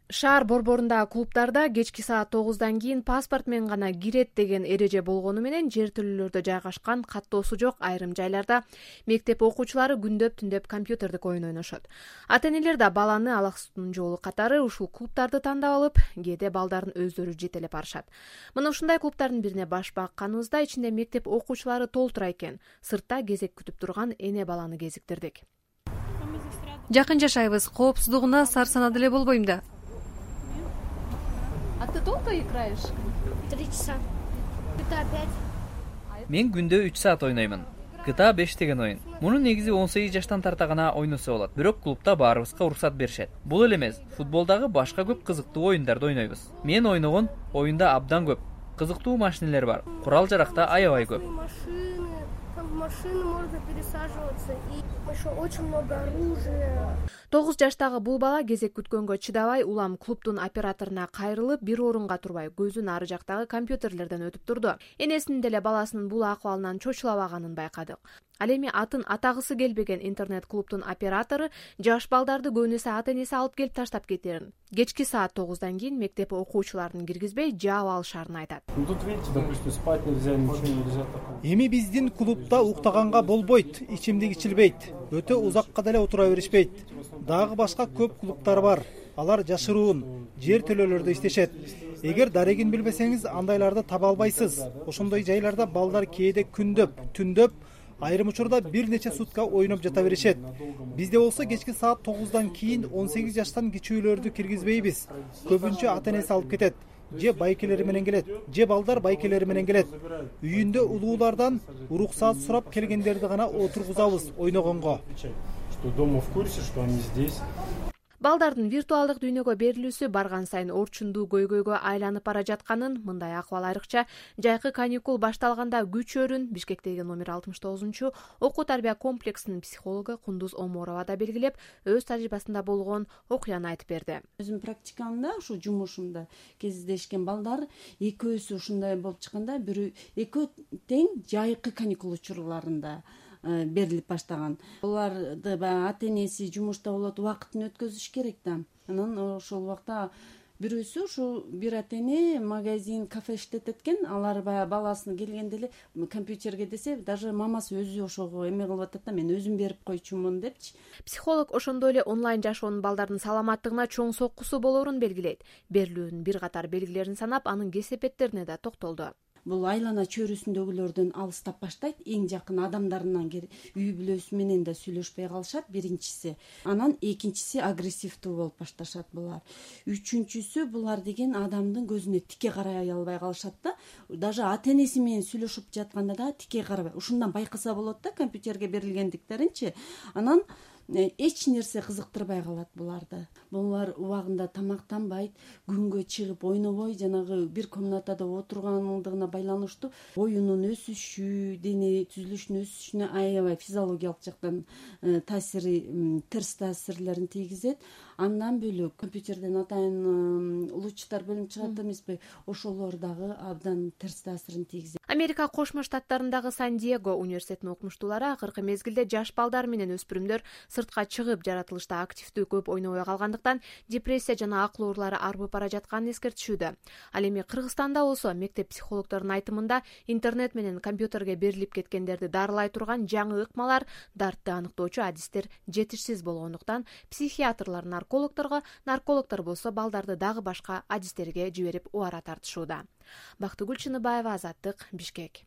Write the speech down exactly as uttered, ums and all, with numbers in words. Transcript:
Шаар борборундагы клубдарда кечки саат тогуздан кийин паспорт менен гана кирет деген эреже болгону менен жер тилүүлөрдө жайгашкан каттоосу жок айрым жайларда мектеп окуучулары күндөп түндөп компьютердик оюн ойношот. Ата-энелер да баланы алаксытуунун жолу катары ушул клубдарды тандап алып, кээде балдарын өздөрү жетелеп барышат. Мына ушундай клубдардын бирине баш бакканыбызда ичинде мектеп окуучулары толтура экен. Сыртта кезек күтүп турган эне баланы кезиктирдик. Жакын жашайбыз, коопсуздугуна сар санада эле болбойм да. А ты долго играешь? Три часа. джи ти эй пять. Мен күндө үч саат ойноймун. джи ти эй беш деген оюн. Муну негизи он сегиз жаштан тарта гана ойносо болот. Бирок клубда баарыбызга уруксат беришет. Бул эле эмес, футболдагы башка көп кызыктуу оюндарды ойнойбуз. Мен ойногон оюнда абдан көп. Кызыктуу машинелер бар. Курал-жарак да аябай көп. В машины можно пересаживаться, и еще очень много оружия. тогуз жаштагы бул бала кезек күткөнгө чыдабай улам клубдун операторуна кайрылып, бир орунга турбай көзүн ары жактагы компьютерлерден өтүп турду. Энесинин деле баласынын бул акыбалынан чочулабаганын байкадык. Ал эми атын атагысы келбеген интернет-клубдун оператору жаш балдарды көбүнесе ата-энеси алып келип таштап кетерин, кечки саат тогуздан кийин мектеп окуучуларын киргизбей жаап алышарын айтат. Тут видите, допустим, спать нельзя, ничего нельзя. Эми биздин клубда уктаганга болбойт, ичимдик ичилбейт, өтө узакка деле отура беришпейт. Дагы башка көп клубдар бар. Алар жашыруун, жер төлөөлөрдө иштешет. Эгер дарегин билбесеңиз, андайларды таба албайсыз. Ошондой жайларда балдар кээде күндөп, түндөп, айрым учурда бир нече сутка ойноп жата беришет. Бизде болсо кечки саат тогуздан кийин он сегиз жаштан кичүүлөрдү киргизбейбиз. Көбүнчө ата-энеси алып кетет. Же байкелери менен келет, же балдар байкелери менен келет. Үйүндө улуулардан уруксаат сурап келгендерди гана отургузабыз ойногонго. Что дома в курсе, что они здесь. Балдардын виртуалдык дүйнөгө берилүүсү барган сайын орчундуу көйгөйгө айланып бара жатканын, мындай акыбал айрыкча жайкы каникул башталганда күчөрүн Бишкектеги номер алтымыш тогузунчу окуу тарбия комплексинин психологу Кундуз Оморова да белгилеп, өз тажрыйбасында болгон окуяны айтып берди. Өзүм практикамда, ушу жумушумда кездешкен балдар экөөсү ушундай болуп чыкканда, бирөө экөө тең жайкы каникул учурларында берилип баштаган. Буларды баягы ата-энеси жумушта болот, убакытын өткөзүш керек да. Анан ошол убакта бирөөсү ушу бир ата-эне магазин, кафе иштетет экен. Алар баягы баласын келгенде эле компьютерге десе, даже мамасы өзү ошого эме кылып атат да, мен өзүм берип койчумун депчи. Психолог ошондой эле онлайн жашоонун балдардын саламаттыгына чоң соккусу болоорун белгилейт. Берилүүнүн бир катар белгилерин санап, анын кесепеттерине да токтолду. Бул айлана чөйрөсүндөгүлөрдөн алыстап баштайт, эң жакын адамдарынан үй бүлөсү менен да сүйлөшпөй калышат, биринчиси. Анан экинчиси агрессивдүү болуп башташат булар. Үчүнчүсү булар деген адамдын көзүнө тике карай албай калышат да. Даже ата-энеси менен сүйлөшүп жатканда да тике карабай. Ушундан байкаса болот да, компьютерге берилгендиктеринчи. Анан эч нерсе кызыктырбай калат буларды. Булар убагында тамактанбайт, күнгө чыгып ойнобой, жанагы бир комнатада отургандыгына байланыштуу боюнун өсүшү, дене түзүлүшүнүн өсүшүнө аябай физиологиялык жактан таасири, терс таасирлерин тийгизет. Андан бөлөк компьютерден атайын улуучтар бөлүнүп чыгат эмеспи? Ошолор дагы абдан терс таасирин тийгизет. Америка Кошмо Штаттарындагы Сан-Диего университетинин окумуштуулары акыркы мезгилде жаш балдар менен өспүрүмдөр сыртка чыгып жаратылышта активдүү көп ойнобой калгандыктан депрессия жана акыл оорулары арбып бара жатканын эскертишүүдө. Ал эми Кыргызстанда болсо мектеп психологдорунун айтымында интернет менен компьютерге берилип кеткендерди дарылай турган жаңы ыкмалар, дартты аныктоочу адистер жетишсиз болгондуктан психиатрлар наркологдорго, наркологдор болсо балдарды дагы башка адистерге жиберип убара тартышууда. Бактыгүл Чыныбаева, Азаттык, Бишкек.